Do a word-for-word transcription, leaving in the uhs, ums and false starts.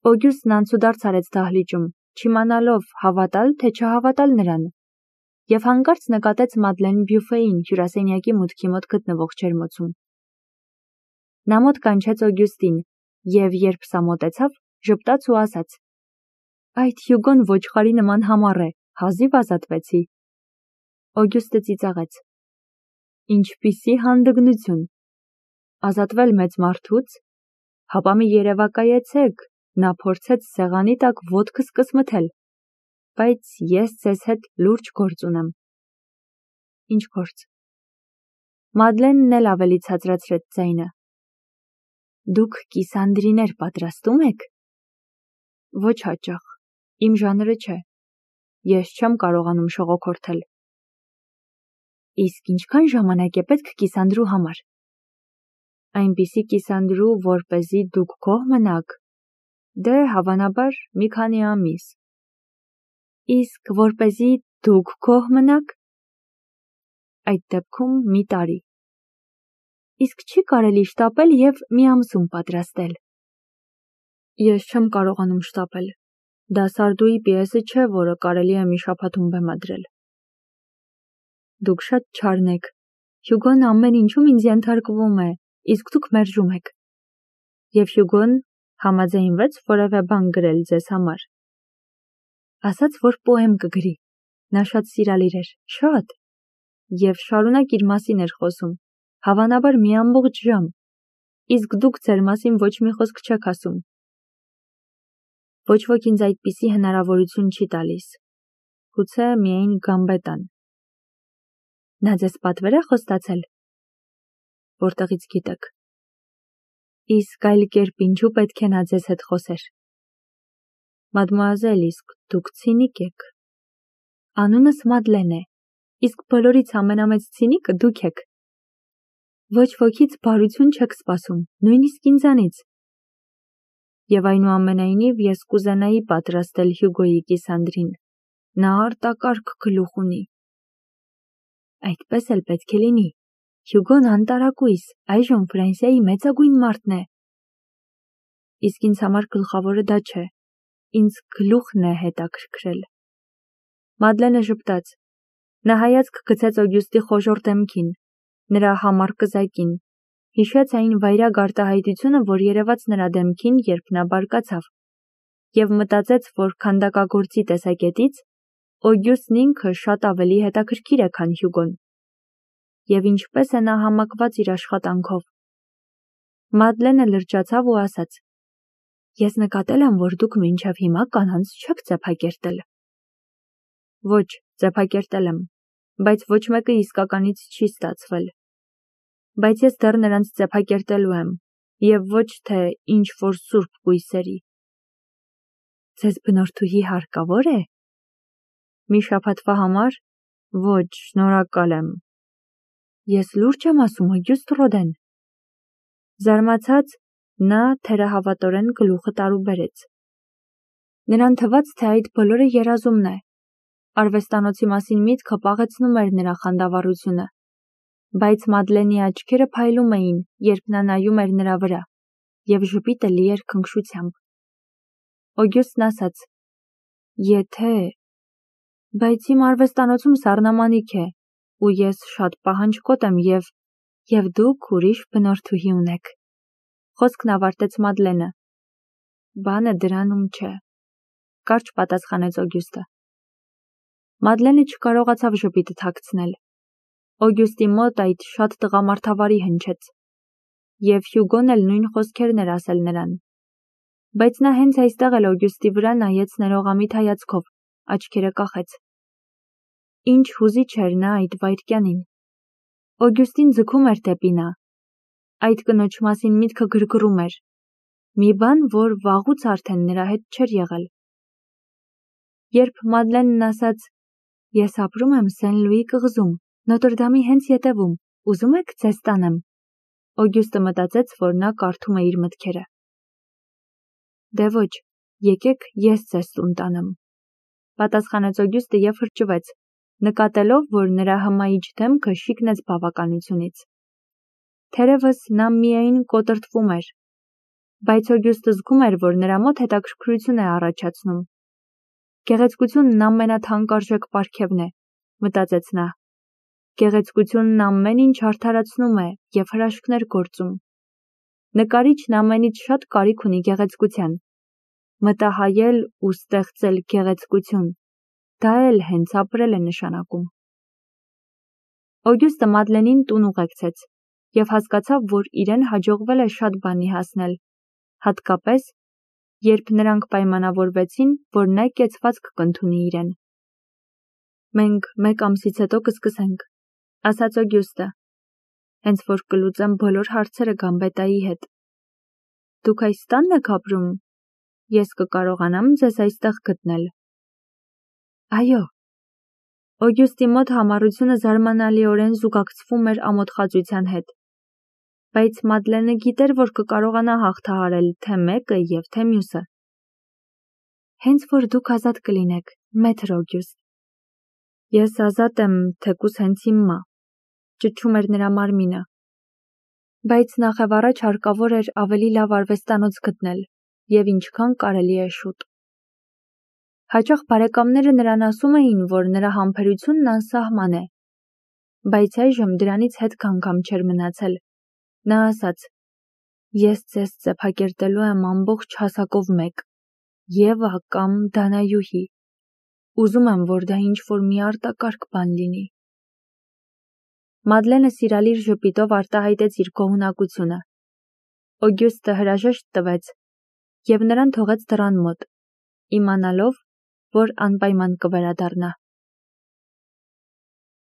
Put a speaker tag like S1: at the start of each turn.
S1: Օգյուստն անցուդարձ արեց դահլիճում, չիմանալով հավատալ, թե չհավատալ նրան, և հանկարծ նկատեց Մադլեն բյուֆեին հյուրասենյակի մուտքի մոտ գտնվող ջերմոցում։ Նա մոտ կանչեց Օգյուստին, և երբ սա մոտեցավ, ժպտաց ու ասաց. «Այդ Հյուգոն ոչխարի նման համառ է, հազիվ ազատվեցի»։ Օգյուստը ծիծաղեց. «Ինչպիսի հանդգնություն, ազատվել մեծ մարդուց, հապա մի երևակայեցեք, նա փորձեց սեղանի տակ ոտքս կսմթել, բայց ես ձեզ հետ լուրջ գործ ունեմ»։ Ինչ գործ։ Մադլենն էլ ավելի ցածրացրեց ձայնը. «Դուք կիսանդրիներ պատրաստում եք»։ Ոչ հաճախ, իմ ժանրը չէ, ես չեմ կարողանում շողոքորթել։ Իսկ ինչքան ժամանակ է պետք կիսանդրու համար։ Այնպիսի կիսանդրու, որպեսզի դուք գոհ մնաք, դե հավանաբար մի քանի ամիս։ Իսկ որպեսզի դուք գոհ մնաք, այդ դեպքում մի տարի։ Իսկ չի կարելի շտապել և մի ամսում պատրաստել։ Ես չեմ կարողանում շտապել, դա Սարդուի պիեսը չէ, որը կարելի է մի շաբաթում բեմադրել։ Դուք շատ չարն եք, Հյուգոն ամեն ինչում ինձ ենթարկվում է, իսկ դուք մերժում եք։ Եվ Հյուգոն համաձայնվեց որևէ բան գրել ձեզ համար։ Ասաց, որ պոեմ կգրի, նա շատ սիրալիր էր, շատ, և շարունակ իր մասին էր խոսում, հավանաբար մի ամբողջ ժամ, իսկ դուք ձեր մասին ոչ մի խոսք չեք ասում։ Ոչ ոք ինձ այդպիսի հնարավորություն չի տալիս, գուցե միայն Գամբետան։ Նա ձեզ պատվեր է խոստացել։ Որտեղից գիտեք։ Իսկ այլ կերպ ինչու պետք է նա ձեզ հետ խոսեր։ Մադմուազել, իսկ դուք ցինիկ եք։ Անունս Մադլեն է, իսկ բոլորից ամենամեծ ցինիկը դուք եք։ Ոչ ոքից բարություն չեք սպասում, նույնիսկ ինձանից։ Եվ այնուամենայնիվ ես կուզենայի պատրաստել Հյուգոյի կիսանդրին, նա արտակարգ գլուխ ունի։ Այդպես էլ պետք է լինի, Հյուգոն անտարակույս, այժմ Ֆրանսիայի մեծագույն մարդն է։ Իսկ ինձ համար գլխավորը դա չէ, ինձ գլուխն է հետաքրքրել։ Մադլենը ժպտաց, նա հայացք գցեց Օգյուստի խոժոռ դեմքին, նրա համառ կզակին, հիշեց այն վայրագ արտահայտությունը, որ երևաց նրա դեմքին, երբ նա բարկացավ, և մտածեց, որ քանդակագործի տեսակետից Օգյուստն ինքը շատ ավելի հետաքրքիր է, քան Հյուգոն։ Եվ ինչպես է նա համակված իր աշխատանքով։ Մադլենը լրջացավ ու ասաց. Ես նկատել եմ, որ դուք մինչև հիմա կանանց չեք ձեփակերտել։ Ոչ, ձեփակերտել եմ, բայց ոչ մեկը իսկականից չի ստացվել։ Բայց ես դեռ նրանց ձեփակերտելու եմ, և ոչ թե ինչ-որ սուրբ կույսերի։ Ձեզ բնորդուհի հարկավոր է։ Մի շաբաթվա համար։ Ոչ, շնորհակալ եմ։ Ես լուրջ եմ ասում, Օգյուստ Ռոդեն։ Զարմացած, նա թերահավատորեն գլուխը տարուբերեց։ Նրան թվաց, թե այդ բոլորը երազումն է։ Արվեստանոցի մասին միտքը պաղեցնում էր նրա խանդավառությունը։ Բայց Մադլենի աչքերը փայլում էին, երբ նա նայում էր նրա վրա, և ժպիտը լի էր քնքշությամբ։ Օգյուստն ասաց. Եթե… Բայց իմ արվեստանոցում սառնամանիք է, ու ես շատ պահանջկոտ եմ, և… և դուք ուրիշ բնորդուհի ունեք։ Խոսքն ավարտեց Մադլենը։ Բանը դրանում չէ, կարճ պատասխանեց Օգյուստը։ Մադլենը չկարողացավ ժպիտը թաքցնել։ Օգյուստի մոտ այդ շատ տղամարդավարի հնչեց։ Եվ Հյուգոն էլ նույն խոսքերն էր ասել նրան։ Բայց նա հենց այստեղ էլ Օգյուստի վրա նայեց ներողամիտ հայացքով, աչքերը կախեց։ Ինչ հուզիչ էր նա այդ վայրկյանին։ Օգյուստին ձգում էր դեպի նա։ Այդ կնոջ մասին միտքը գրգռում էր։ Մի բան, որ վաղուց արդեն նրա հետ չէր եղել։ Երբ Մադլենն ասաց. Ես ապրում եմ Սեն-Լուի կղզում, Նոտրդամի հենց ետևում, ուզում եք ձեզ տանեմ։ Օգյուստը մտածեց, որ նա կարդում է իր մտքերը։ Դե ոչ, եկեք ես ձեզ տուն տանեմ, պատասխանեց Օգյուստը և հրճվեց, նկատելով, որ նրա հմայիչ դեմքը շիկնեց բավականությունից։ Թերևս նա միայն կոտրտվում էր։ Բայց Օգյուստը զգում էր, որ նրա մոտ հետաքրքրություն է առաջացնում։ Գեղեցկությունն ամենաթանկարժեք պարգևն է, մտածեց նա։ Գեղեցկությունն ամեն ինչ արդարացնում է և հրաշքներ գործում։ Նկարիչն ամենից շատ կարիք ունի գեղեցկության։ Մտահայել ու ստեղծել գեղեցկություն, դա էլ հենց ապրել է նշանակում։ Օգյուստը Մադլենին տուն ուղեկցեց և հասկացավ, որ իրեն հաջողվել է շատ բանի հասնել, հատկապես, երբ նրանք պայմանավորվեցին, որ նա կեցվածք կընդունի իրեն։ Մենք մեկ ամսից հետո կսկսենք, ասաց Օգյուստը, հենց որ կլուծեմ բոլոր հարցերը Գամբետայի հետ։ Դուք այս տանն եք ապրում, ես կկարողանամ ձեզ այստեղ գտնել։ Այո։ Օգյուստի մոտ համառությունը զարմանալիորեն զուգակցվում էր ամոթխածության հետ։ Բայց Մադլենը գիտեր, որ կկարողանա հաղթահարել թե մեկը և թե մյուսը։ Հենց որ դուք ազատ կլինեք, մեթր Օգյուստ։ Ես ազատ եմ, թեկուզ հենց հիմա, ճչում էր նրա մարմինը։ Բայց նախևառաջ հարկավոր էր ավելի լավ արվեստանոց գտնել, և ինչքան կարելի է շուտ։ Հաճախ բարեկամները նրան ասում էին, որ նրա համբերությունն անսահման է, բայց այժմ դրանից հետք անգամ չէր մնացել։ Նա ասաց. Ես ձեզ ծեփակերտելու եմ ամբողջ հասակով մեկ, Եվա կամ Դանայուհի։ Ուզում եմ, որ դա ինչ-որ մի արտակարգ բան լինի։ Մադլենը սիրալիր ժպիտով արտահայտեց իր գոհունակությունը։ Օգյուստը հրաժեշտ տվեց և նրան թողեց դռան մոտ, իմանալով, որ անպայման կվերադառնա։